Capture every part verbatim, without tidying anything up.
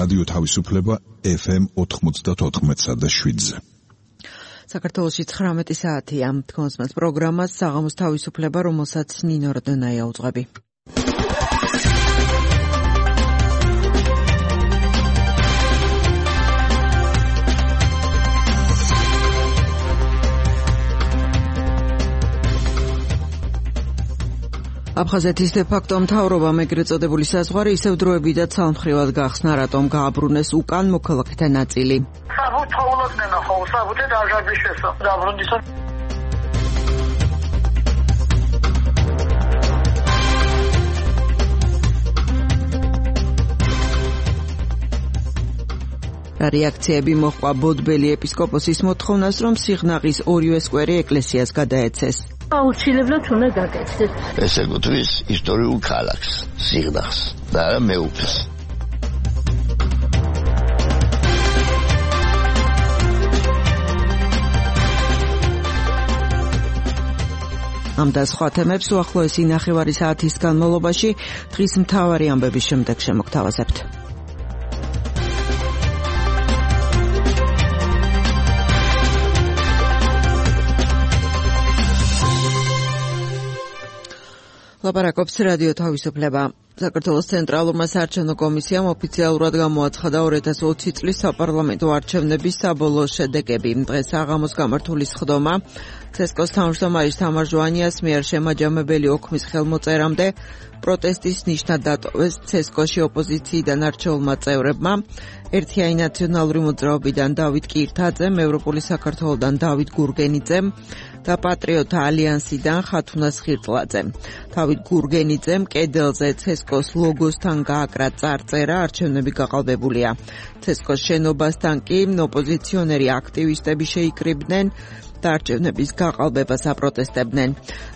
რადიო თავისუფლება ეფ ემ ოთხმოცდაოთხ და შვიდზე. საქართველოში ცხრამეტი საათია. თქონსმენთ პროგრამას საღამოს თავისუფლება, რომელსაც ნინო რდონაია უძღვები. აფხაზეთის დე-ფაქტო მთავრობამ ეგრეთ წოდებული საზღვარი ისევ დროებითაც ცალმხრივად გახსნა, რატომ გააბრუნეს უკან მოქალაქეთა ნაწილი. რეაქციები მოჰყვა ბოდბელი ეპისკოპოსის მოთხოვნას, რომ სიღნაღის ორივე სკვერი ეკლესიას გადაეცეს. აუცილებლად უნდა გაკეთდეს. ესე გუთრის ისტორიულ ქალაქს, სიღნაღს და არა მეუფეს. ამ და სხვა თემებს უახლოესი ნახევარი საათის განმავლობაში დღის მთავარი ამბების შემდეგ შემოგთავაზებთ. ლაპარაკობს რადიო თავისუფლება. საქართველოს ცენტრალურმა საარჩევნო კომისიამ ოფიციალურად გამოაცხადა ორი ათას ოცი წლის საპარლამენტო არჩევნების საბოლოო შედეგები. დღეს საღამოს გამართული სხდომა ცესკოს თავმჯდომარის თამარ ჟვანიას მიერ შემაჯამებელი ოქმის ხელმოწერამდე პროტესტის ნიშნად დატოვეს ცესკოში ოპოზიციიდან არჩეულმა წევრებმა. ერთიანი ნაციონალური მოძრაობიდან დავით კირთაძემ, ევროპული საქართველოდან დავით გურგენიძემ და პატრიოტთა ალიანსიდან ხათუნას ხირტლაძემ. დავით გურგენიძემ კედელზე ცესკოს ლოგოსთან გააკრა წარწერა, არჩევნები გაყალბებულია. ცესკოს შენობასთან კი ოპოზიციონერი აქტივისტები შეიკრიბნენ და არჩევნების გაყალბებას აპროტესტებდნენ.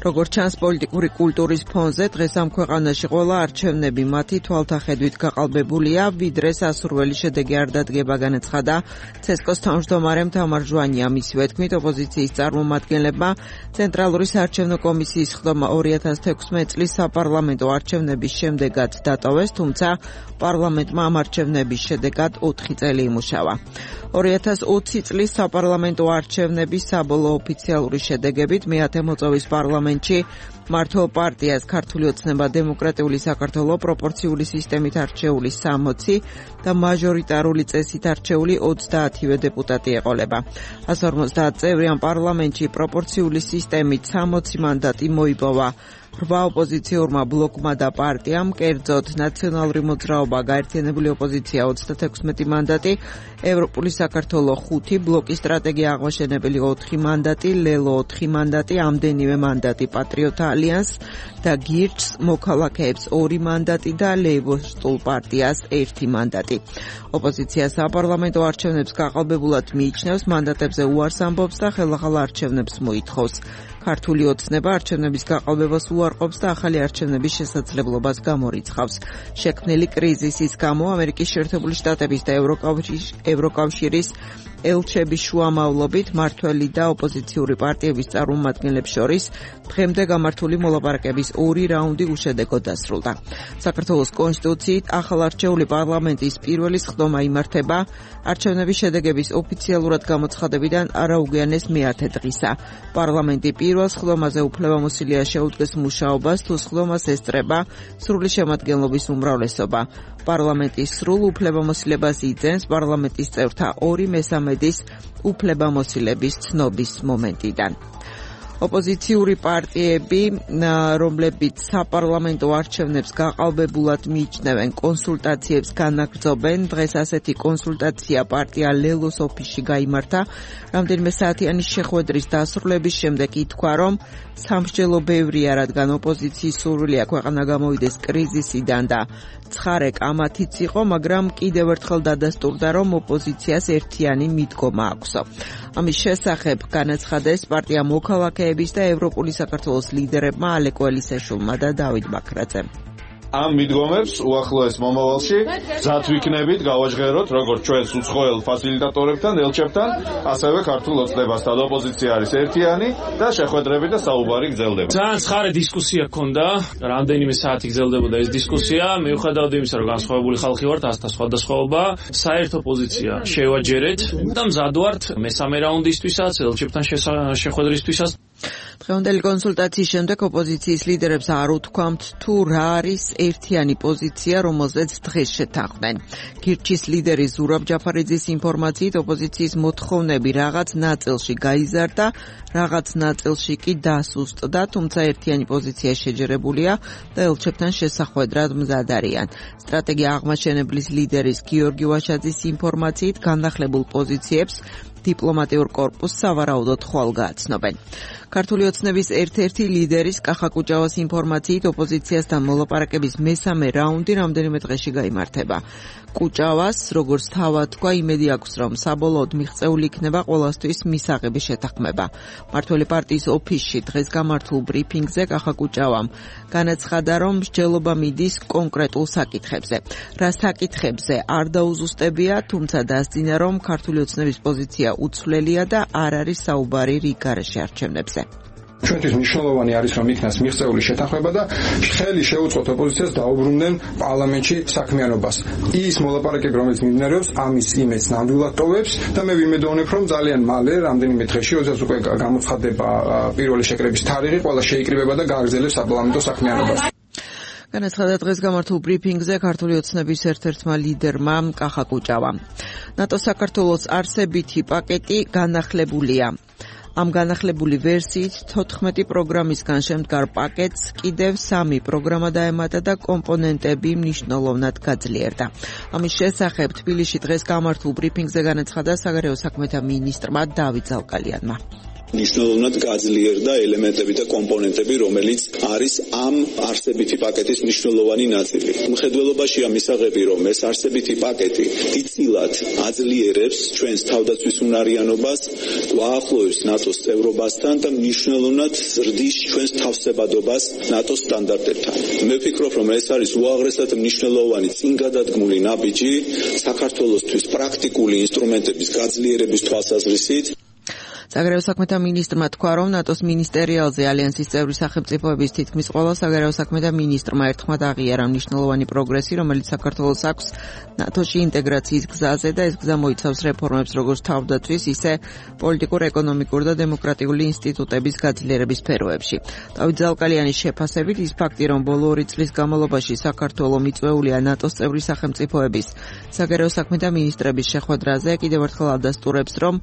როგორც ჩანს, პოლიტიკური კულტურის ფონზე დღეს ამ ქვეყანაში ყველა არჩევნები მათი თვალთახედვით გაყალბებულია, ვიდრე სასურველი შედეგი არ დადგება, განაცხადა ცესკოს თავმჯდომარემ თამარ ჟვანიამ. მისივე თქმით, ოპოზიციის წარმომადგენლებმა ცენტრალური საარჩევნო კომისიის სხდომა ორი ათას თექვსმეტი წლის საპარლამენტო არჩევნების შემდეგაც დატოვეს, თუმცა პარლამენტმა ამ არჩევნების შედეგად ოთხი წელი იმუშავა. ორი ათას ოცი წლის საპარლამენტო არჩევნების საბოლოო ოფიციალური შედეგებით მეათე მოწვევის პარლამენტში მართლ პარტიას ქართული ოცნება დემოკრატიული საქართველო პროპორციული სისტემით არჩეული სამოცი და მაჟორიტარული წესით არჩეული ოცდაათივე დეპუტატი ეყოლება. ასა ორმოცდაათ წევრი ამ პარლამენტში პროპორციული სისტემით სამოცი მანდატი მოიპოვა რვა ოპოზიციურმა ბლოკმა და პარტიამ, კერძოდ ნაციონალური მოძრაობა, გაერთიანებული ოპოზიცია ოცდათექვსმეტი მანდატი, ევროპული საქართველო ხუთი, ბლოკის სტრატეგია აღმაშენებელი ოთხი მანდატი, ლელო ოთხი მანდატი, ამდენივე მანდატი პატრიოტთა ალიანსს და გირჩს მოქალაქეებს ორი მანდატი და ლეიბორისტულ პარტიას ერთი მანდატი. ოპოზიცია საპარლამენტო არჩევნებს გაყალბებულად მიიჩნევს, მანდატებზე უარს ამბობს და ხელახალ არჩევნებს მოითხოვს. ქართული ოცნება არჩევნების გაყალბებას უარყოფს და ახალი არჩევნების შესაძლებლობას გამორიცხავს. შექმნილი კრიზისის გამო ამერიკის შეერთებული შტატების და ევროკავშირის ელჩების შუამავლობით მმართველი და ოპოზიციური პარტიების წარმომადგენლებს შორის დღემდე გამართული მოლაპარაკების ორი რაუნდი უშედეგოდ დასრულდა. საქართველოს კონსტიტუციით ახალარჩეული პარლამენტის პირველი სხდომა იმართება არჩევნების შედეგების ოფიციალურად გამოცხადებიდან არაუგვიანეს მეათე დღისა. პარლამენტი პირველ სხდომაზე უფლებამოსილია შეუდგეს მუშაობას, თუ სხდომას ესწრება სრული შემადგენლობის უმრავლესობა. პარლამენტის სრულ უფლებამოსილებას იძენს პარლამენტის წევრთა ორი მესამედის უფლებამოსილების ცნობის მომენტიდან. ოპოზიციური პარტიები, რომლებიც საპარლამენტო არჩევნებს გაყალბებულად მიიჩნევენ, კონსულტაციებს განაგრძობენ. დღეს ასეთი კონსულტაცია პარტია ლელოს ოფისში გაიმართა. რამდენიმე საათიანი შეხვედრის დასრულების შემდეგ ითქვა, რომ სამსჯელო ბევრია, რადგან ოპოზიციის სურვილია ქვეყანა გამოვიდეს კრიზისიდან და ცხარე კამათიც იყო, მაგრამ კიდევ ერთხელ დადასტურდა, რომ ოპოზიციას ერთიანი მიდგომა აქვსო. ამის შესახებ განაცხადეს პარტია მოქალაქეების და ევროპული საქართველოს ლიდერებმა ალეკო ელისაშვილმა და დავით ბაქრაძემ. ამ მიდგომებს უახლოეს მომავალში გზად ვიქნებით, გავაჟღეროთ როგორც ჩვენს უცხოელ ფასილიტატორებთან, ელჩებთან, ასევე ქართულ ოცნებასთან. ოპოზიცია არის ერთიანი და შეხვედრები და საუბარი გრძელდება. ძალიან ცხარე დისკუსია ჰქონდა, რამდენიმე საათი გრძელდებოდა ეს დისკუსია, მიუხედავად იმისა, რომ განსხვავებული ხალხი ვართ, ასთა სხვადასხვაობა, საერთო პოზიცია შევაჯერეთ და მზად ვართ მესამე რაუნდისთვისაც, ელჩებთან შეხვედრისთვისაც. დღევანდელი კონსულტაციის შემდეგ ოპოზიციის ლიდერებს არ უთქვამთ თუ რა არის ერთიანი პოზიცია, რომელზეც დღეს შეთანხმდნენ. გირჩის ლიდერი ზურაბ ჯაფარიძის ინფორმაციით ოპოზიციის მოთხოვნები რაღაც ნაწილში გაიზარდა, რაღაც ნაწილში კი დასუსტდა, თუმცა ერთიანი პოზიცია შეჯერებულია და ელჩებთან შესახვედრად მზად არიან. სტრატეგია აღმაშენებლის ლიდერის გიორგი ვაშაძის ინფორმაციით განახლებულ პოზიციებს დიპლომატიურ კორპუსს სავარაუდოდ ხვალ გააცნობენ. ქართული ოცნების ერთ-ერთი ლიდერის კახა კუჭავას ინფორმაციით ოპოზიციასთან მოლაპარაკების მესამე რაუნდი რამდენიმე დღეში გაიმართება. კუჭავას, როგორც თავად თქვა, იმედი აქვს, რომ საბოლოოდ მიღწეული იქნება ყველასთვის მისაღები შეთანხმება. მმართველი პარტიის ოფისში დღეს გამართულ ბრიფინგზე კახა კუჭავამ განაცხადა, რომ მსჯელობა მიდის კონკრეტულ საკითხებზე. რა საკითხებზე არ დაუზუსტებია, თუმცა დასძინა, რომ ქართული ოცნების პოზიცია უცვლელია და არ არის საუბარი რიგ გარეშე არჩევნებზე. ჩვენთვის მნიშვნელოვანი არის, რომ იქნას მიღწეული შეთანხმება და ხელი შეუწყოთ ოპოზიციას დაუბრუნდნენ პარლამენტში საქმიანობას. ის მოლაპარაკება, რომელიც მიმდინარეობს, ამის იმედს ნამდვილად ტოვებს და მე ვიმედოვნებ, რომ ძალიან მალე, რამდენიმე დღეში, როდესაც უკვე გამოცხადდება პირველი შეკრების თარიღი, ყველა შეიკრიბება და გააგრძელებს საპარლამენტო საქმიანობას. განაცხადა დღეს გამართულ ბრიფინგზე ქართული ოცნების ერთ-ერთმა ლიდერმა კახა კუჭავამ. ნატო საქართველოს არსებითი პაკეტი განახლებულია. ამ განახლებული ვერსიით თოთხმეტი პროგრამისგან შემდგარ პაკეტს კიდევ სამი პროგრამა დაემატა და კომპონენტები მნიშვნელოვნად გაძლიერდა. ამის შესახებ თბილისში დღეს გამართულ ბრიფინგზე განაცხადა საგარეო საქმეთა მინისტრმა დავით ზალკალიანმა. მნიშვნელოვნად გაძლიერდა ელემენტები და კომპონენტები, რომელიც არის ამ არსებითი პაკეტის მნიშვნელოვანი ნაწილი. მხედველობაშია მისაღები, რომ ეს არსებითი პაკეტი დიდწილად აძლიერებს ჩვენს თავდაცვის უნარიანობას, გვაახლოვებს ნატოს წევრობასთან და მნიშვნელოვნად ზრდის ჩვენს თავსებადობას ნატოს სტანდარტებთან. მე ვფიქრობ, რომ ეს არის უაღრესად მნიშვნელოვანი წინგადადგმული ნაბიჯი საქართველოსთვის პრაქტიკული ინსტრუმენტების გაძლიერების თვალსაზრისით. საგარეო საქმეთა მინისტრმა თქვა, რომ ნატოს მინისტერიალზე ალიანსის წევრი სახელმწიფოების თითქმის ყველა საგარეო საქმეთა მინისტრმა ერთხმად აღიარა მნიშვნელოვანი პროგრესი, რომელიც საქართველოს აქვს ნატოში ინტეგრაციის გზაზე და ეს გზა მოიცავს რეფორმებს როგორც თავდაცვის, ისე პოლიტიკურ, ეკონომიკურ და დემოკრატიული ინსტიტუტების გაძლიერების სფეროებში. დავით ზალკალიანის შეფასებით ის ფაქტი, რომ ბოლო ორი წლის განმავლობაში საქართველო მიწვეულია ნატოს წევრი სახელმწიფოების საგარეო საქმეთა მინისტრების შეხვედრაზე, კიდევ ერთხელ ადასტურებს, რომ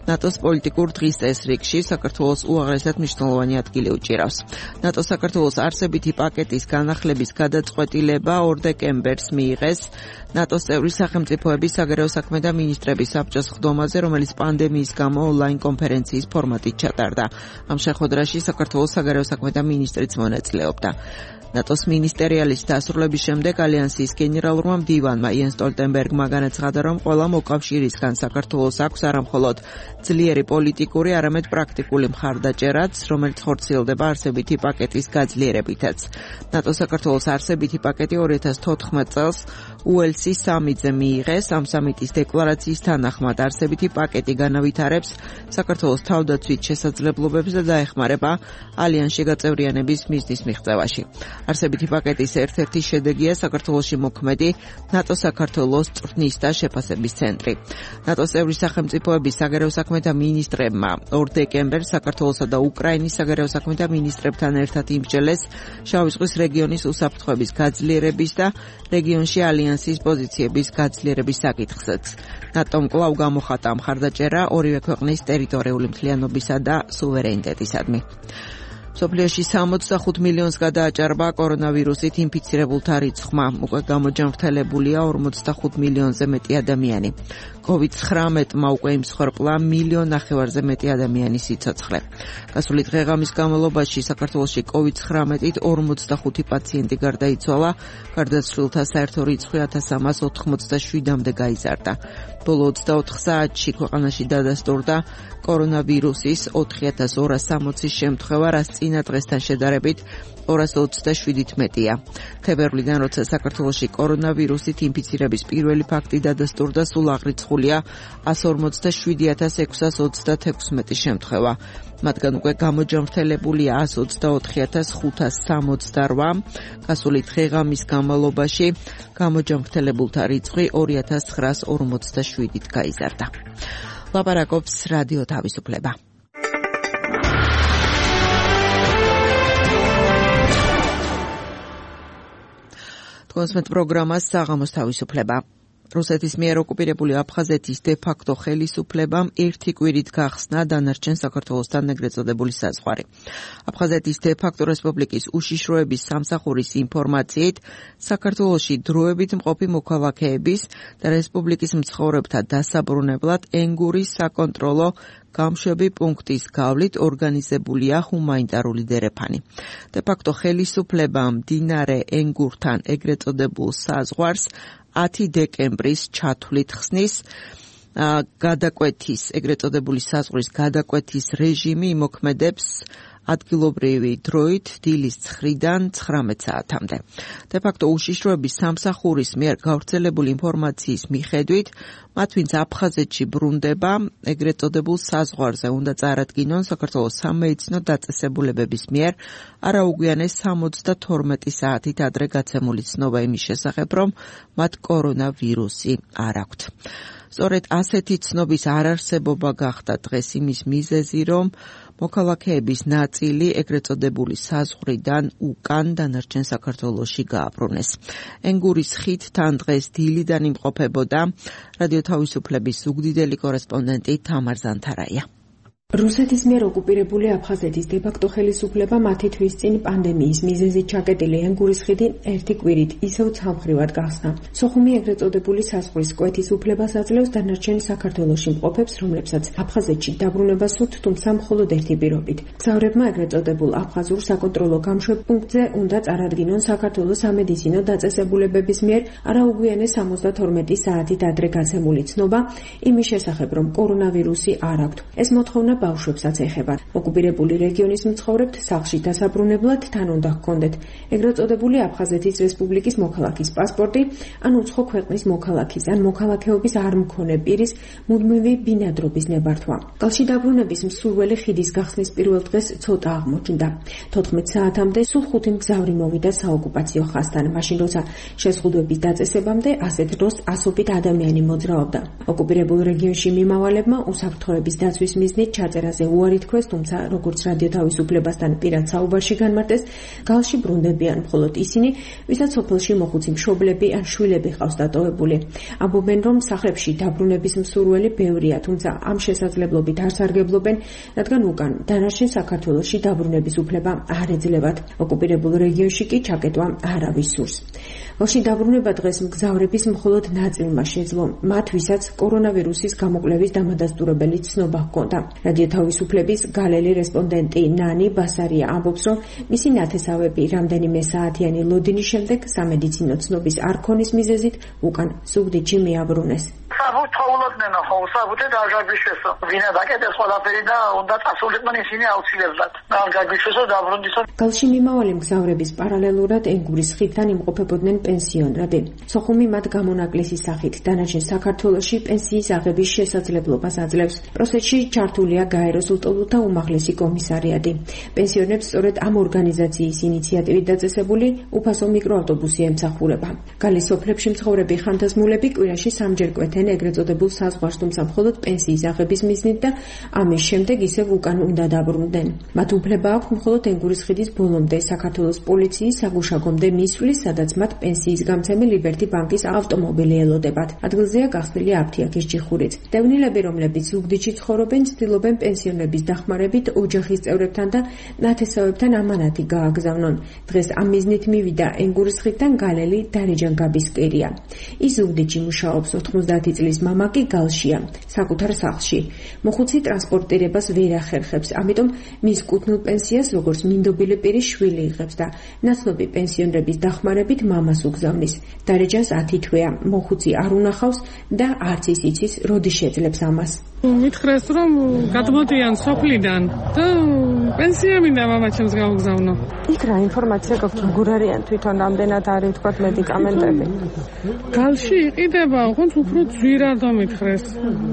ნატოს პოლიტიკურ დღის წესრიგში საქართველოს უაღრესად მნიშვნელოვანი ადგილი უჭირავს. ნატო საქართველოს არსებითი პაკეტის განახლების გადაწყვეტილება ორ დეკემბერს მიიღეს ნატოს წევრი სახელმწიფოების საგარეო საქმეთა მინისტრების საბჭოს ხდომაზე, რომელიც პანდემიის გამო ონლაინ კონფერენციის ფორმატით ჩატარდა. ამ შეხვედრაში საქართველოს საგარეო საქმეთა მინისტრიც მონაწილეობდა. ნატოს მინისტერიალის დასრულების შემდეგ ალიანსის გენერალურმა მდივანმა იენს სტოლტენბერგმა განაცხადა, რომ ყველა მოკავშირისგან საქართველოს აქვს არამხოლოდ ძლიერი პოლიტიკური, არამედ პრაქტიკული მხარდაჭერაც, რომელიც ხორციელდება არსებითი პაკეტის გაძლიერებითაც. ნატო საქართველოს არსებითი პაკეტი ორი ათას თოთხმეტ წელს უელსის სამიტზე მიიღეს. ამ სამიტის დეკლარაციის თანახმად არსებითი პაკეტი განავითარებს საქართველოს თავდაცვით შესაძლებლობებს და დაეხმარება ალიანსში გაწევრიანების მიზნის მიღწევაში. არსებითი პაკეტის ერთ-ერთი შედეგია საქართველოში მოქმედი ნატო საქართველოს წვრთნის და შეფასების ცენტრი. ნატოს წევრი სახელმწიფოების საგარეო საქმეთა მინისტრებმა ორ დეკემბერს საქართველოსა და უკრაინის საგარეო საქმეთა მინისტრებთან ერთად იმსჯელეს შავი ზღვის რეგიონის უსაფრთხოების გაძლიერების და რეგიონში ალიანსის პოზიციების გაძლიერების საკითხზეც. ნატომ კვლავ გამოხატა მხარდაჭერა ორივე ქვეყნის ტერიტორიული მთლიანობისა და სუვერენიტეტისადმი. სოფლიოში სამოცდახუთ მილიონს გადააჭარბა კორონავირუსით ინფიცირებულთა რიცხვმა. უკვე გამოჯანმრთელებულია ორმოცდახუთ მილიონზე მეტი ადამიანი. კოვიდ ცხრამეტმა უკვე იმსხვერპლა მილიონ ნახევარზე მეტი ადამიანის სიცოცხლე. გასული დღე-ღამის განმავლობაში საქართველოში კოვიდ ცხრამეტით ორმოცდახუთი პაციენტი გარდაიცვალა, გარდაცვლილთა საერთო რიცხვი ათას სამას ოთხმოცდაშვიდამდე გაიზარდა. ბოლო ოცდაოთხ საათში ქვეყანაში დადასტურდა კორონავირუსის ოთხი ათას ორას სამოცი შემთხვევა, რაც წინა დღესთან შედარებით ორას ოცდაშვიდით მეტია. თებერვლიდან, როცა საქართველოში კორონავირუსით ინფიცირების პირველი ფაქტი დადასტურდა, სულ აღრიცხულია εκατს ორმოცდაშვიდი ათას ექვსას ოცდათექვსმეტი შემთხვევა. მათგან უკვე გამოჯანმრთელებულია εκατს ოცდაოთხი ათას ხუთას სამოცდარვა. გასული დღე-ღამის განმავლობაში გამოჯანმრთელებულთა რიცხვი ორი ათას ცხრაას ორმოცდაშვიდით გაიზარდა. ლაპარაკობს რადიო თავისუფლება. თქვენს პროგრამას საღამოს თავისუფლება. რუსეთის მიერ ოკუპირებული აფხაზეთის დე-ფაქტო ხელისუფლებამ ერთი კვირით გახსნა დანარჩენ საქართველოსთან ეგრეთ წოდებული საზღვარი. აფხაზეთის დე-ფაქტო რესპუბლიკის უშიშროების სამსახურის ინფორმაციით, საქართველოში დროებით მყოფი მოქალაქეების და რესპუბლიკის მცხოვრებთა დასაბრუნებლად ენგურის საკონტროლო გამშვები პუნქტის გავლით ორგანიზებულია ჰუმანიტარული დერეფანი. დე-ფაქტო ხელისუფლებამ მდინარე ენგურთან ეგრეთ წოდებულ საზღვარს ათი დეკემბრის ჩათვლით ხსნის გადაკვეთის, ეგრეთ წოდებული საზღვრის გადაკვეთის რეჟიმი იმოქმედებს ადგილობრივი დროით დილის ცხრიდან ცხრამეტ საათამდე. დე-ფაქტო უშიშროების სამსახურის მიერ გავრცელებული ინფორმაციის მიხედვით, მათ ვინც აფხაზეთში ბრუნდება, ეგრეთ წოდებულ საზღვარზე უნდა წარადგინონ საქართველოს სამედიცინო დაწესებულებების მიერ არაუგვიანეს სამოცდათორმეტი საათით ადრე გაცემული ცნობა იმის შესახებ, რომ მათ კორონავირუსი არ აქვთ. სწორედ ასეთი ცნობის არარსებობა გახდა დღეს იმის მიზეზი, რომ მოქალაქეების ნაწილი ეგრეთ წოდებული საზღვრიდან უკან დანარჩენ საქართველოში გააბრუნეს. ენგურის ხიდთან დღეს დილიდან იმყოფებოდა რადიო თავისუფლების ზუგდიდელი კორესპონდენტი თამარ ზანთარაია. რუსეთის მიერ ოკუპირებული აფხაზეთის დე-ფაქტო ხელისუფლება მათი თვის წინ პანდემიის მიზეზით ჩაკეტილი ენგურის ხიდი ერთი კვირით ისევ ცალმხრივად გახსნა. სოხუმი ეგრეთ წოდებული საზღვრის კვეთის უფლებას აძლევს დანარჩენ საქართველოში მყოფებს, რომლებსაც აფხაზეთში დაბრუნება სურთ, თუმცა მხოლოდ ერთი პირობით. მგზავრებმა ეგრეთ წოდებულ აფხაზურ საკონტროლო გამშვებ პუნქტზე უნდა წარადგინონ საქართველოს სამედიცინო დაწესებულებების მიერ არაუგვიანეს სამოცდათორმეტი საათით ადრე გაცემული ცნობა იმის შესახებ, რომ კორონავირუსი არ აქვთ. ეს მოთხოვნა ბავშვებსაც ეხება. ოკუპირებული რეგიონის მცხოვრებთ სახლში დასაბრუნებლად თან უნდა ჰქონდეთ ეგრეთ წოდებული აფხაზეთის რესპუბლიკის მოქალაქის პასპორტი, ან უცხო ქვეყნის მოქალაქის ან მოქალაქეობის არ მქონე პირის მუდმივი ბინადრობის ნებართვა. კალში დაბრუნების მსურველი ხიდის გახსნის პირველ დღეს ცოტა აღმოჩნდა. თოთხმეტ საათამდე სულ ხუთი მგზავრი მოვიდა საოკუპაციო ხაზთან, მაშინ როცა შეზღუდვების დაწესებამდე ასეთ დროს ასობით ადამიანი მოძრაობდა. ოკუპირებულ რეგიონში მიმავალებმა უსაფრთხოების დაცვის მიზნით წერაზე უარი თქვეს, თუმცა როგორც რადიო თავისუფლებასთან პირად საუბარში განმარტეს, გალში ბრუნდებიან მხოლოდ ისინი, ვისაც სოფელში მოხუცი მშობლები ან შვილები ჰყავს დატოვებული. ამბობენ, რომ სახლებში დაბრუნების მსურველი ბევრია, თუმცა ამ შესაძლებლობით არ სარგებლობენ, რადგან უკან დანარჩენ საქართველოში დაბრუნების უფლება არ ეძლევათ. ოკუპირებულ რეგიონში კი ჩაკეტვა არავის სურს. გალში დაბრუნება დღეს მგზავრების მხოლოდ ნაწილმა შეძლო, მათ ვისაც კორონავირუსის გამოკვლევის დამადასტურებელი ცნობა ჰქონდა. რადიო თავისუფლების გალელი რესპონდენტი ნანი ბასარია ამბობს, რომ მისი ნათესავები რამდენიმე საათიანი ლოდინის შემდეგ სამედიცინო ცნობის არ ქონის მიზეზით უკან ზუგდიდში მიაბრუნეს. საბუთხოვლოდნენ ხო საბუთე დაჟაგიშესო ვინა დაკეტეს ყველაფერი და უნდა წასულიყვნენ ისინი აუცილებლად დაჟაგიშესო დაბრუნდისო. გალში მიმავალი მგზავრების პარალელურად ენგურის ხიდთან იმყოფებოდნენ პენსიონერები. სოხუმი მათ გამონაკლისის სახით დანარჩენ საქართველოში პენსიის აღების შესაძლებლობას აძლევს. პროცესში ჩართულია გაეროს უტოლუთა უმაღლესი კომისარიატი. პენსიონერებს სწორედ ამ ორგანიზაციის ინიციატივით დაწესებული უფასო მიკროავტობუსი ემსახურება. გალის სოფლებში მცხოვრები ხანთაზმულები კვირაში სამჯერ კვეთენ ეგრეთ წოდებულ საზღვარს, თუმცა მხოლოდ პენსიის აღების მიზნით და ამის შემდეგ ისევ უკან უნდა დაბრუნდნენ. მათ უფლება აქვს მხოლოდ ენგურის ხიდის ბოლომდე საქართველოს პოლიციის საგუშაგომდე მისვლის, სადაც მათ პენსიის გამცემი ლიბერტი ბანკის ავტომობილი ელოდებათ. ადგილზეა გახსნილი აფთიაქის ჯიხურიც. დევნილები, რომლებიც ზუგდიდში ცხოვრობენ, ცდილობენ პენსიონერების დახმარებით ოჯახის წევრებთან და ნათესავებთან ამანათი გააგზავნონ. დღეს ამ მიზნით მივიდა ენგურის ხიდთან გალელი დარეჯან გაბისკერია. ის ზუგდიდში მუშაობს, ოთხმოცდაათი წლის მამა კი გალშია, საკუთარ სახლში. მოხუცი ტრანსპორტირებას ვერ ახერხებს, ამიტომ მის კუთვნილ პენსიას როგორც მინდობილი პირის შვილი იღებს და ნაცნობი პენსიონერების დახმარებით მამას უგზავნის. დარეჯანს ათი თვეა, მოხუცი არ უნახავს და არც ის იცის, როდის შეძლებს ამას. მითხრეს რომ გადმოდიან სოფლიდან და პენსია მინდა მამაჩემს გავგზავნო. იქ რა ინფორმაცია გაქვთ, როგორ არიან თვითონ რამდენად არის თქვა მედიკამენტები? გალში იყიდება, ხონც უფრო ძვირად მითხრეს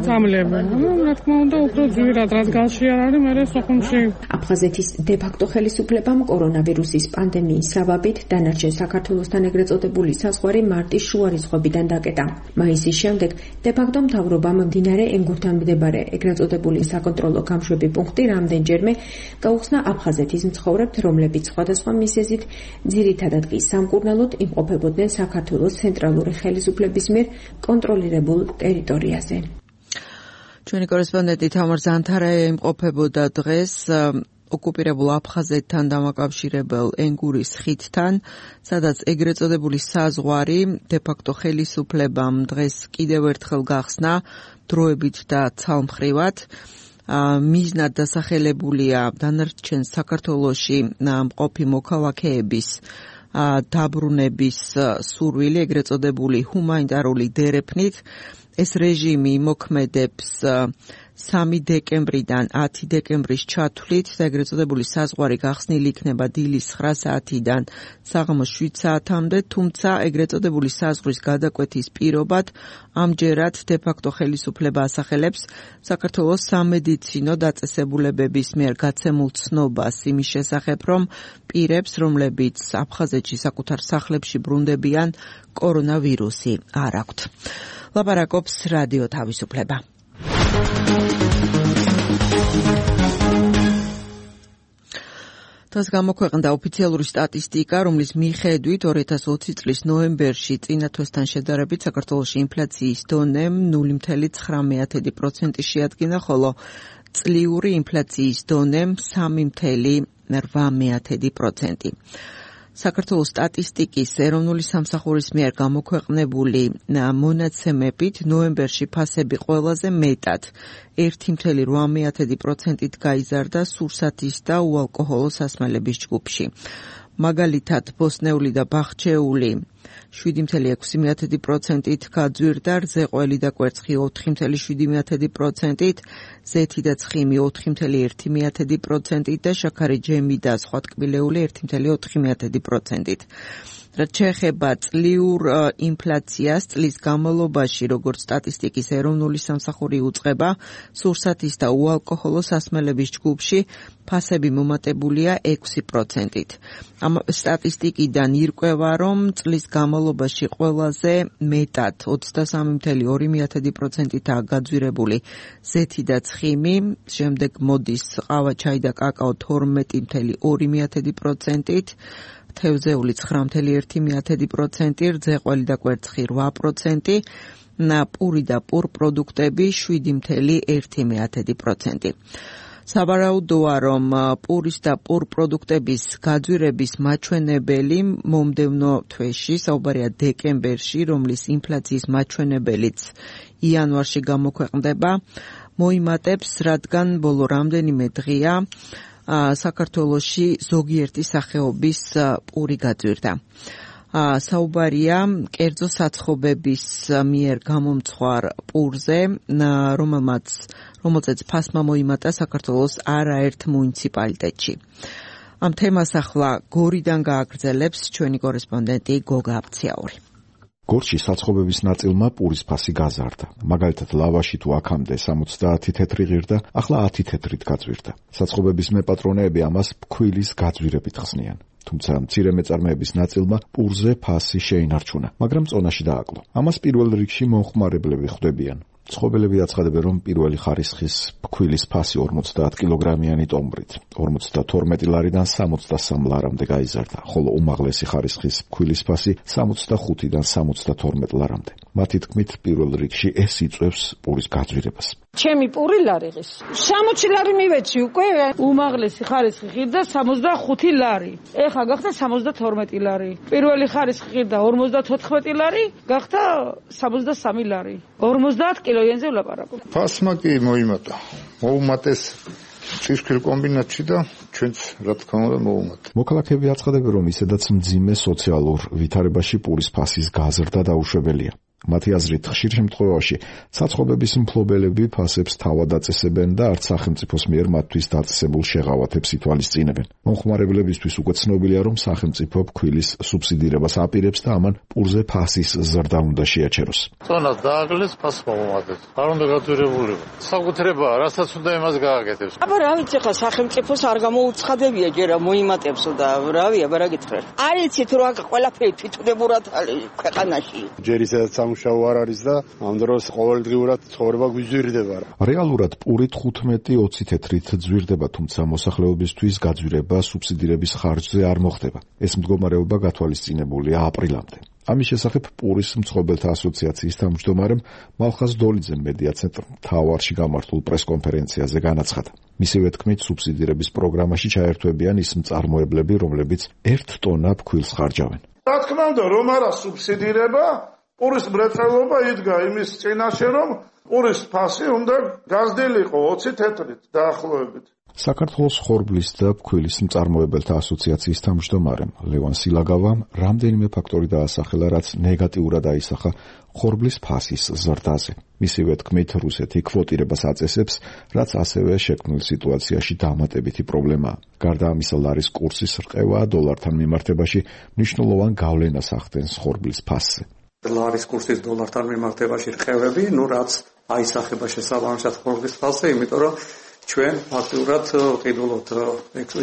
წამლები. ну, რა თქმა უნდა, უფრო ძვირად, რაც გალში არ არის, მერე სოხუმში. აფხაზეთის დე-ფაქტო ხელისუფლებამ კორონავირუსის პანდემიის საბაბით დანარჩენ საქართველოსთან ეგრეთ წოდებული საზღვარი მარტის შუა რიცხვებიდან დაკეტა. მაისის შემდეგ დე-ფაქტო მთავრობამ მდინარე ენგურთან მდებარე ეგრეთ წოდებული საკონტროლო გამშვები პუნქტი რამდენჯერმე გაუხსნა აფხაზეთის მცხოვრებთ, რომლებიც სხვადასხვა მიზეზით ძირითადად კი სამკურნალოდ იმყოფებოდნენ საქართველოს ცენტრალური ხელისუფლების მიერ კონტროლირებულ ტერიტორიაზე. ჩვენი კორესპონდენტი თამარ ზანთარაია იმყოფებოდა დღეს ოკუპირებულ აფხაზეთთან დამაკავშირებელ ენგურის ხიდთან, სადაც ეგრეთ წოდებული საზღვარი დე-ფაქტო ხელისუფლებამ დღეს კიდევ ერთხელ გახსნა დროებით და ცალმხრივად. მიზნად დასახელებულია დანარჩენ საქართველოში მყოფი მოქალაქეების დაბრუნების სურვილი ეგრეთ წოდებული ჰუმანიტარული დერეფნით. ეს რეჟიმი მოქმედებს სამი დეკემბრიდან ათი დეკემბრის ჩათვლით და ეგრეთ წოდებული საზღვარი გახსნილი იქნება დილის ცხრა საათიდან საღამოს შვიდ საათამდე, თუმცა ეგრეთ წოდებული საზღვრის გადაკვეთის პირობად ამჯერად დე-ფაქტო ხელისუფლება ასახელებს საქართველოს სამედიცინო დაწესებულებების მიერ გაცემულ ცნობას იმის შესახებ, რომ პირებს, რომლებიც აფხაზეთში საკუთარ სახლებში ბრუნდებიან, კორონავირუსი არ აქვთ. ლაპარაკობს რადიო თავისუფლება. დღეს გამოქვეყნდა ოფიციალური სტატისტიკა, რომლის მიხედვით ორი ათას ოცი წლის ნოემბერში წინა თვესთან შედარებით საქართველოში ინფლაციის დონე ნული მცდარი ცხრა პროცენტი შეადგინა, ხოლო წლიური ინფლაციის დონე სამი მცდარი რვა პროცენტი. საქართველოს სტატისტიკის ეროვნული სამსახურის მიერ გამოქვეყნებული მონაცემებით ნოემბერში ფასები ყველაზე მეტად ერთი მცდარი რვა პროცენტით გაიზარდა სურსათის და უალკოჰოლო სასმელების ჯგუფში. მაგალითად, ბოსნეული და ბახჩეული შვიდი მცდარი ექვსი პროცენტით გაძვირდა, რზეყველი და კვერცხი ოთხი მცდარი შვიდი პროცენტით, ზეთი და ცხიმი ოთხი მცდარი ერთი პროცენტით და შაქარი, ჯემი და სხვა ტკბილეული ერთი მცდარი ოთხი პროცენტით. რაც შეეხება წლიურ ინფლაციას წლის განმავლობაში, როგორც სტატისტიკის ეროვნული სამსახური უწყება, სურსათის და უალკოჰოლო სასმელების ჯგუფში ფასები მომატებულია ექვსი პროცენტით. ამ სტატისტიკიდან ირკვევა, რომ წლის განმავლობაში ყველაზე მეტად ოცდასამი მცდარი ორი პროცენტითაა გაძვირებული ზეთი და ცხიმი, შემდეგ მოდის ყავა, ჩაი და კაკაო თორმეტი მცდარი ორი პროცენტით, თევზეული ცხრა მცდარი ერთი პროცენტი, რზეყველი და კვერცხი რვა პროცენტი, პური და პურ პროდუქტები შვიდი მცდარი ერთი პროცენტი. საბარაუდოა, რომ პურის და პურ პროდუქტების გაძვირების მაჩვენებელი მომდევნო თვეში, საუბარია დეკემბერში, რომლის ინფლაციის მაჩვენებელიც იანვარში გამოქვეყნდება, მოიმატებს, რადგან ბოლო რამდენიმე დღეა საქართველოში ზოგიერთი სახეობის პური გაძვირდა. საუბარია კერძო საცხობების მიერ გამომცხვარ პურზე, რომელმაც რომელზეც ფასმა მოიმატა საქართველოს არაერთ მუნიციპალიტეტში. ამ თემას ახლა გორიდან გააგრძელებს ჩვენი კორესპონდენტი გოგა აბციაური. გორში საცხობების ნაწილმა პურის ფასი გაზარდა. მაგალითად, ლავაში თუ აქამდე სამოცდაათი თეთრი ღირდა, ახლა ათი თეთრით გაძვირდა. საცხობების მეპატრონეები ამას ფქვილის გაძვირებით ხსნიან. თუმცა მცირე მეწარმეების ნაწილმა პურზე ფასი შეინარჩუნა, მაგრამ წონაში დააკლო. ამას პირველ რიგში მომხმარებლები ხვდებიან. ცხობელები აცხადებენ, რომ პირველი ხარისხის ფქვილის ფასი ორმოცდაათ კილოგრამიანი ტომბრით ორმოცდათორმეტი ლარიდან სამოცდასამ ლარამდე გაიზარდა, ხოლო უმაღლესი ხარისხის ფქვილის ფასი სამოცდახუთიდან სამოცდათორმეტ ლარამდე. მათი თქმით, პირველ რიგში ეს იწვევს პურის გაძვირებას. ჩემი პური ლარი ღირს. სამოცი ლარი მივეცი უკვე. უმაღლესი ხარისხი ღირდა სამოცდახუთი ლარი. ეხა გახდა სამოცდათორმეტი ლარი. პირველი ხარისხი ღირდა ორმოცდათოთხმეტი ლარი, გახდა სამოცდასამი ლარი. ორმოცდაათ კილოიანზე ვლაპარაკობ. ფასმა კი მოიმატა. მოუმატეს წისქვილ კომბინატში და ჩვენც რა თქმა უნდა მოუმატა. მოქალაქეები აცხადებენ, რომ ისედაც მძიმე სოციალურ ვითარებაში პურის ფასის გაზრდა დაუშვებელია. მათი აზრით, ხშირ შემთხვევაში საწყობების მფლობელები ფასებს თავად აწესებენ და არც სახელმწიფოს მიერ მათთვის დაწესებულ შეღავათებს ითვალისწინებენ. მომხმარებლებისთვის უკვე ცნობილია, რომ სახელმწიფო ფქვილის სუბსიდირებას აპირებს და ამან პურზე ფასის ზრდა უნდა შეაჩეროს. წონას დააკლეს, ფასს მომატეს. არ უნდა გაძვირებულიყო. საკუთრებაა, რასაც უნდა იმას გააკეთებს. აბა რა ვიცი, ხა სახელმწიფოს არ გამოუცხადებია ჯერა მოიმატებსო და რავი, აბა რა გითხრა. არ იცით რა ყველაფერი თვითმდებურად ქვეყანაში. ჯერ ისედაც სამუშაო არ არის და ამ დროს ყოველდღიურად ცხოვრება გვიძვირდება. რეალურად პურით თხუთმეტი ოცი თეთრით ძვირდება, თუმცა მოსახლეობისთვის გაძვირება სუბსიდირების ხარჯზე არ მოხდება. ეს მდგომარეობა გათვალისწინებულია აპრილამდე. ამის შესახებ პურის მცხოვრებელთა ასოციაციის თავმჯდომარემ მალხაზ დოლიძემ მედია ცენტრ მთავარში გამართულ პრესკონფერენციაზე განაცხადა. მისივე თქმით, სუბსიდირების პროგრამაში ჩაერთვებიან ის მწარმოებლები, რომლებიც ერთ ტონა ფქვილს ხარჯავენ. რა თქმა უნდა, რომ არა სუბსიდირება, პურის მრეწველობა იდგა იმის წინაშე, რომ პურის ფასი უნდა გაზრდილიყო ოცი თეთრით დაახლოებით. საქართველოს ხორბლის და ფქვილის მწარმოებელთა ასოციაციის თავმჯდომარემ ლევან სილაგავამ რამდენიმე ფაქტორი დაასახელა, რაც ნეგატიურად აისახა ხორბლის ფასის ზრდაზე. მისივე თქმით, რუსეთი კვოტირებას აწესებს, რაც ასევე შექმნილ სიტუაციაში დამატებითი პრობლემაა. გარდა ამისა, ლარის კურსის რყევა დოლართან მიმართებაში მნიშვნელოვან გავლენას ახდენს ხორბლის ფასზე. ლარის კურსის დოლართან მიმართებაში რყევები, ну რაც აისახება შესაბამისად ხორბლის ფასზე, იმიტომ რომ ჩვენ ფაქტურად ყიდულობთ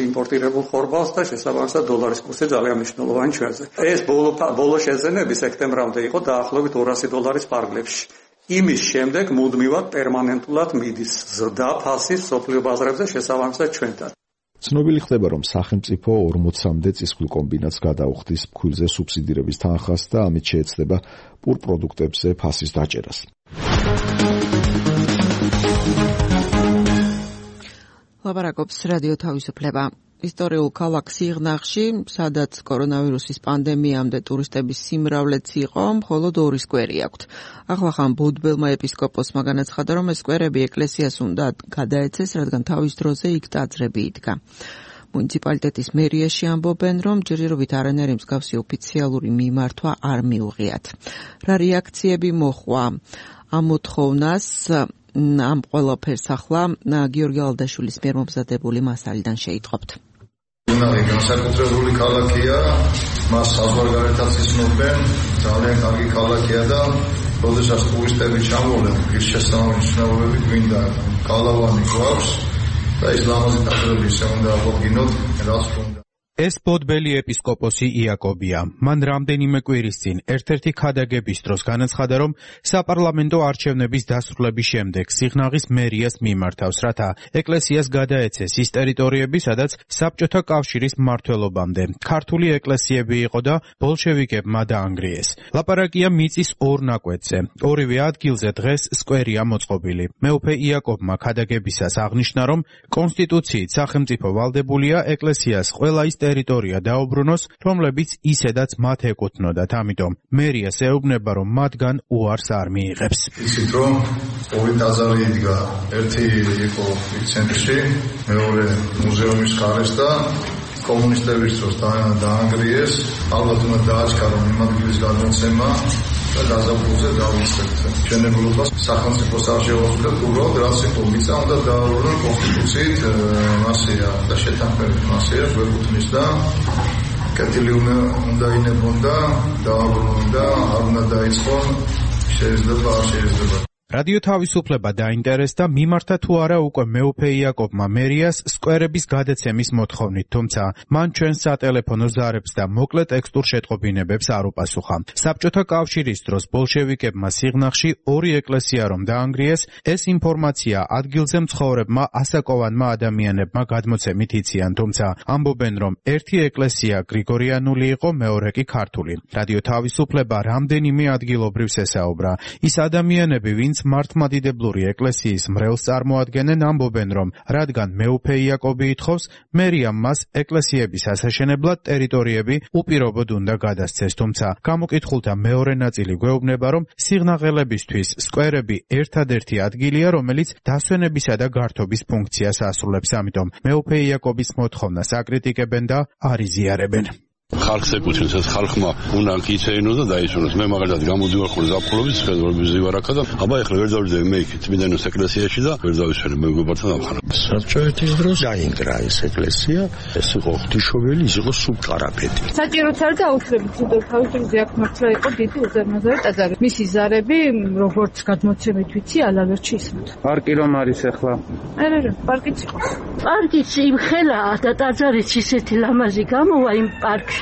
იმპორტირებულ ხორბალს და შესაბამისად დოლარის კურსი ძალიან მნიშვნელოვანი ჩვენზე. ეს ბოლო ბოლო შეზენები სექტემბრამდე იყო დაახლოებით ორასი დოლარის ფარგლებში. იმის შემდეგ მუდმივად პერმანენტულად მიდის ზრდა ფასის სოფლიო ბაზრებზე შესაბამისად ჩვენთან. ცნობილი ხდება, რომ სახელმწიფო ორმოცამდე წისქვილ კომბინატს გადაუხდის ფქვილზე სუბსიდირების თანხას და ამით შეეცდება პურ პროდუქტებზე ფასის დაჭერას. ლაპარაკობს რადიო თავისუფლება. ისტორიულ ქალაქ სიღნაღში, სადაც კორონავირუსის პანდემიამდე ტურისტების სიმრავლეც იყო, მხოლოდ ორი სკვერი აქვთ. ახლახან ბუდბელმა ეპისკოპოსმა განაცხადა, რომ ეს სკვერები ეკლესიას უნდა გადაეცეს, რადგან თავის დროზე იქ ტაძრები იდგა. მუნიციპალიტეტის მერიაში ამბობენ, რომ ჯერჯერობით არანაირი მსგავსი ოფიციალური მიმართვა არ მიუღიათ. რა რეაქციები მოხვა ამ მოთხოვნას ამ ყველაფერს ახლა გიორგი ალდაშვილის მიერ მომზადებული მასალიდან შეიტყობთ. სიღნაღი განსაკუთრებული ქალაქია, მას საზღვარგარეთაც იცნობენ, ძალიან კარგი ქალაქია და როდესაც ტურისტები ჩამოვლენ, ღირსშესანიშნაობები გვინდა გალავანი გვაქვს და ის ლამაზი ტაძრები ისე უნდა აღვდგინოთ, რაც უნდა. ეს ბოდბელი ეპისკოპოსი იაკობია. მან რამდენიმე კვირის წინ ერთ-ერთი ქადაგების დროს განაცხადა, რომ საპარლამენტო არჩევნების დასრულების შემდეგ სიღნაღის მერიას მიმართავს, რათა ეკლესიას გადაეცეს ის ტერიტორიები, სადაც საბჭოთა კავშირის მმართველობამდე ქართული ეკლესიები იყო და ბოლშევიკებმა დაანგრიეს. ლაპარაკია მიწის ორ ნაკვეთზე. ორივე ადგილზე დღეს სკვერია მოწყობილი. მეუფე იაკობმა ქადაგებისას აღნიშნა, რომ კონსტიტუციით სახელმწიფო ვალდებულია ეკლესიას ყველა ის ტერიტორია დაუბრუნოს, რომლებიც ისედაც მათ ეკუთვნოდათ. ამიტომ მერიას ეუბნება, რომ მათგან უარს არ მიიღებს. იცით, რომ ორი ტაძარი იდგა, ერთი იყო ცენტრში, მეორე მუზეუმის გარეს და კომუნისტების დროს დაანგრიეს. ალბათ უნდა დააჩქარონ იმ ადგილის გადმოცემა და გაზაფხულზე დავიწყებთ. ჩვენებულობას სახელმწიფოს არ შევაძლოთ, უბრალოდ რაც იყო მიწა უნდა დააბრუნონ კონსტიტუციით, მასია და შეთანხმებით მასია გვეკუთვნის და კეთილი უნდა ინებონ და დააბრუნონ და არ უნდა დაიწყონ, შეიძლება არ შეიძლება. რადიო თავისუფლება დაინტერესდა მიმართა თუ არა უკვე მეუფე იაკობმა მერიას სკვერების გადაცემის მოთხოვნით, თუმცა მან ჩვენს სატელეფონო ზარებს და მოკლე ტექსტურ შეტყობინებებს არ უპასუხა. საბჭოთა კავშირის დროს ბოლშევიკებმა სიღნაღში ორი ეკლესია რომ დაანგრიეს, ეს ინფორმაცია ადგილზე მცხოვრებმა ასაკოვანმა ადამიანებმა გადმოცემით იციან, თუმცა ამბობენ, რომ ერთი ეკლესია გრიგორიანული იყო, მეორე კი ქართული. რადიო თავისუფლება რამდენიმე ადგილობრივს ესაუბრა. ის ადამიანები, ვინც მართლმადიდებლური ეკლესიის მრევლს წარმოადგენენ, ამბობენ, რომ რადგან მეუფე იაკობი ითხოვს, მერიამ მას ეკლესიების ასაშენებლად ტერიტორიები უპირობოდ უნდა გადასცეს, თუმცა გამოკითხულთა მეორე ნაწილი გვეუბნება, რომ სიღნაღელებისთვის სკვერები ერთადერთი ადგილია, რომელიც დასვენებისა და გართობის ფუნქციას ასრულებს, ამიტომ მეუფე იაკობის მოთხოვნას აკრიტიკებენ და არ იზიარებენ. ხალხს ეკუთვნის, ეს ხალხმა უნდა იქცეინოს და დაისვენოს. მე მაგალითად გამოდივარ ხოლმე ზაფხულობით, სხეულების ზივარაკა და აბა ეხლა ვერ დავიძები მე იქით წმინდანოს ეკლესიაში და ვერ დავისვენე მე მეგობართან ამხანა. საბჭოეთის დროს დაინგრა ეს ეკლესია, ეს იყო ღვთისმშობელი, ის იყო სუბყარაფეთი. საჭიროც არ დაუშვებით, თუნდაც თავისუფლად აქ მართლა იყო დიდი უზარმაზარი ტაძარი. მისი ზარები, როგორც გადმოცემით ვიცი, ალავერჩი ისმოთ. პარკი რომ არის ახლა? არა, არა, პარკიც იყოს. პარკიც იმ ხელაა და ტაძარიც ისეთი ლამაზი გამოვა იმ პარკში.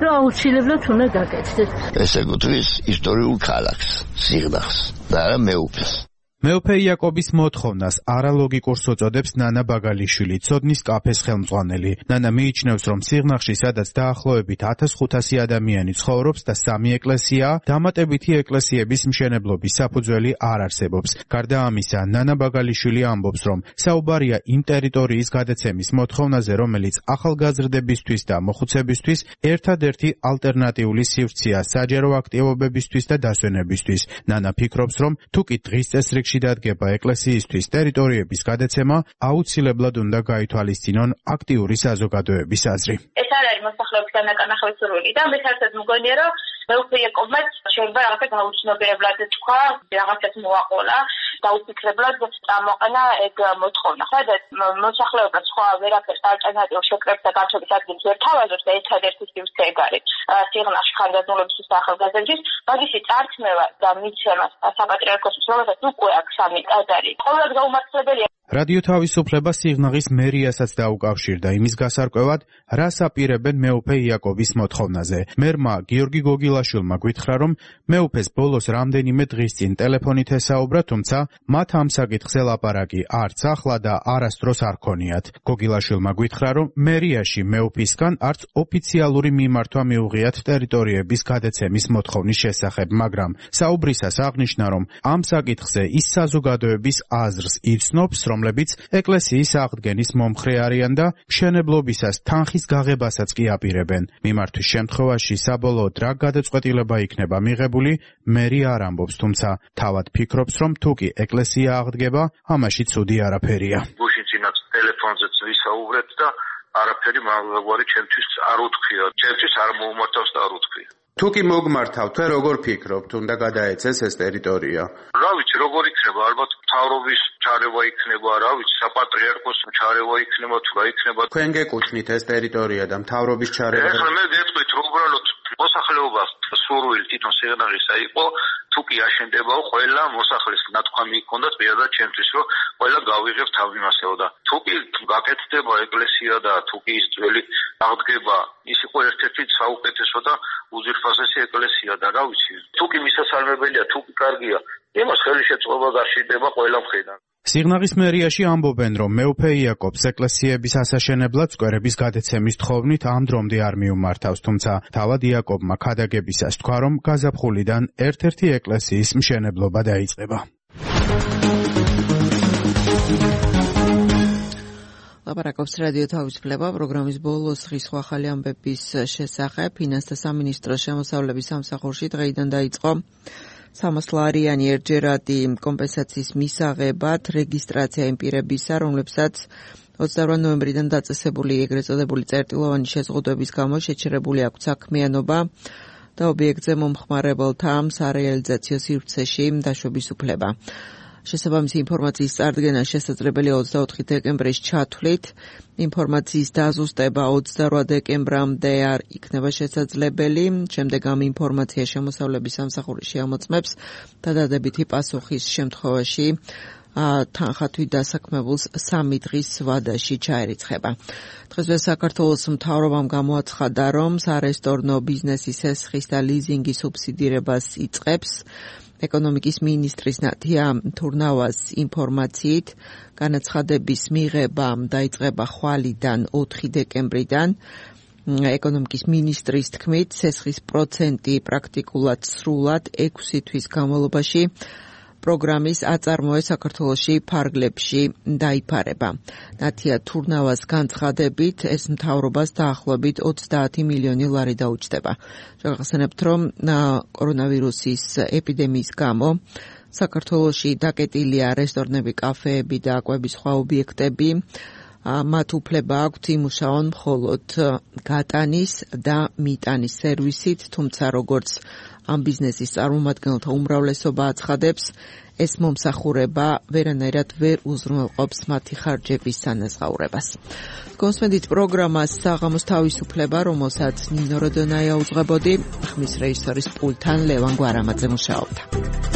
რომ აუცილებლად უნდა გაკეთდეს. ეს ეკუთვნის ისტორიულ ქალაქს, სიღნაღს და არა მეუფეს. მეუფე იაკობის მოთხოვნას არალოგიკურს უწოდებს ნანა ბაგალიშვილი, ცოდნის კაფეს ხელმძღვანელი. ნანა მიიჩნევს, რომ სიღნაღში, სადაც დაახლოებით ათას ხუთასი ადამიანი ცხოვრობს და სამი ეკლესიაა, დამატებითი ეკლესიების მშენებლობის საფუძველი არ არსებობს. გარდა ამისა, ნანა ბაგალიშვილი ამბობს, რომ საუბარია იმ ტერიტორიის გადაცემის მოთხოვნაზე, რომელიც ახალგაზრდებისთვის და მოხუცებისთვის ერთადერთი ალტერნატიული სივრცეა საჯარო აქტივობებისთვის და დასვენებისთვის. ნანა ფიქრობს, რომ თუ კი დღის წესრიგში დადგება ეკლესიისთვის ტერიტორიების გადაცემა, აუცილებლად უნდა გაითვალისწინონ აქტიური საზოგადოების აზრი. ეს არ არის მოსახლეობის განაკარნახების სურვილი და მე საერთოდ მგონია, რომ მეუფე იაკობმაც შეიძლება რაღაცა გაუცნობიერებლად თქვა, რაღაცას მოაყოლა, დაუფიქრებლად წამოყენა ეგ მოთხოვნა. სადაც მოსახლეობა სხვა ვერაფერს ალტერნატიულ შეკრებს და გართობის ადგილს ვერ თავაზობს და ერთადერთი სივრცე ეგ არის სიღნაღში ხანდაზმულობის და ახალგაზრდების, მაგისი წარქმევა და მიცემა საპატრიარქოსის რომელსაც უკვე აქვს სამი ტაძარი. ყოველად გაუმართლებელია. რადიო თავისუფლება სიღნაღის მერიასაც დაუკავშირდა იმის გასარკვევად, რას აპირებენ მეუფე იაკობის მოთხოვნაზე. მერმა გიორგი გოგილაშვილმა გვითხრა, რომ მეუფეს ბოლოს რამდენიმე დღის წინ ტელეფონით ესაუბრა, თუმცა მათ ამ საკითხს ელაპარაკი არც ახლა და არასდროს არ ქონიათ. გოგილაშვილმა გვითხრა, რომ მერიაში მეუფისგან არც ოფიციალური მიმართვა მიუღიათ ტერიტორიების გადაცემის მოთხოვნის შესახებ, მაგრამ საუბრისას აღნიშნა, რომ ამ საკითხზე ის საზოგადოების აზრს იცნობს, რომლებიც ეკლესიის აღდგენის მომხრე არიან და მშენებლობისას თანხის გაღებასაც კი აპირებენ. მიმართვის შემთხვევაში საბოლოოდ რა გადაწყვეტილება იქნება მიღებული, მერი არ ამბობს, თუმცა თავად ფიქრობს, რომ თუ კი ეკლესია აღდგება, ამაში ცუდი არაფერია. გუშინ წინაც ტელეფონზეც ვისაუბრეთ და არაფერი მაგვარი ჩემთვის არ უთქვია. ჩემთვის არ მოუმართავს და არ უთქვია. თუ კი მოგმართავთ, თუ როგორ ფიქრობთ, უნდა გადაეცეს ეს ტერიტორია? რა ვიცი, როგორ იქნება, ალბათ მთავრობის ჩარევა იქნება, რა ვიცი, საპატრიარქოს ჩარევა იქნება, თუ რა იქნება. თქვენ გეკუთვნით ეს ტერიტორია და მთავრობის ჩარევა? ეხლა მე გეტყვით, რომ უბრალოდ მოსახლეობას სურვილი თვითონ სიღნაღისა იყო, თუ კი აშენდებაო, ყველა მოსახლის ნათქვამი იქონდათ პირადად ჩემთვის, რომ ყველა გავიღებ თავიმასეო და თუ კი გაკეთდება ეკლესია და თუ კი ის ძველი აღდგება, ის იყო ერთ-ერთი საუკეთესო და უძვირფასესი ეკლესია და რა ვიცი, თუ კი მისასალმებელია, თუ კი კარგია, იმას ხელი შეწყობა გაშიდება ყველა მხრიდან. სიღნაღის მერიაში ამბობენ, რომ მეუფე იაკობს ეკლესიების ასაშენებლად სკვერების გადაცემის თხოვნით ამ დრომდე არ მიუმართავს, თუმცა თავად იაკობმა ქადაგებისას თქვა, რომ გაზაფხულიდან ერთ-ერთი ეკლესიის მშენებლობა დაიწყება. ლაპარაკობს რადიო თავისუფლება პროგრამის ბოლოს ხის ახალი ამბების შესახებ. ფინანსთა სამინისტროს შემოსავლების სამსახურში დღეიდან დაიწყო სამას ლარიანი ერთჯერადი კომპენსაციის მისაღებად რეგისტრაცია იმ პირებისა, რომლებსაც ოცდაორი ნოემბრიდან დაწესებული ეგრეთ წოდებული წერტილოვანი შეზღუდვების გამო შეჩერებული აქვთ საქმიანობა და ობიექტზე მომხმარებელთა სარეალიზაციო სივრცეში დაშვების უფლება. შესაბამისი ინფორმაციის წარდგენა შესაძლებელია ოცდაოთხი დეკემბრის ჩათვლით. ინფორმაციის დაზუსტება ოცდაორ დეკემბრამდე არ იქნება შესაძლებელი. შემდეგ ამ ინფორმაცია შემოსავლების სამსახური შეამოწმებს და დადებითი პასუხის შემთხვევაში თანხათვით დასაქმებულს სამი დღის ვადაში ჩაერიცხება. დღესვე საქართველოს მთავრობამ გამოაცხადა, რომ სარესტორნო ბიზნესის ესხის და ლიზინგის სუბსიდირებას იწყებს. ეკონომიკის მინისტრის ნათია თურნავას ინფორმაციით, განაცხადების მიღება დაიწყება ხვალიდან ოთხი დეკემბრიდან. ეკონომიკის მინისტრის თქმით, სესხის პროცენტი პრაქტიკულად სრულად ექვსი თვის განმავლობაში პროგრამის აწარმოე საქართველოში ფარგლებში დაიფარება. ნათია თურნავას განცხადებით, ეს მთავრობას დაახლოებით ოცდაათი მილიონი ლარი დაუჯდება. შევახსენებთ, რომ კორონავირუსის ეპიდემიის გამო საქართველოში დაკეტილია რესტორნები, კაფეები და კვების სხვა ობიექტები. მათ უფლება აქვთ იმუშაონ მხოლოდ გატანის და მიტანის სერვისით, თუმცა როგორც ამ ბიზნესის წარმომადგენელთა უმრავლესობა აცხადებს, ეს მომსახურება ვერანაირად ვერ უზრუნველყოფს მათი ხარჯების სანაზღაურებას. გონსვენდით პროგრამას საღამოს თავისუფლება, რომელსაც ნინო როდონაია უძღვებოდი, ხმის რეჟისორის პულტთან ლევან გვარამაძე მუშაობდა.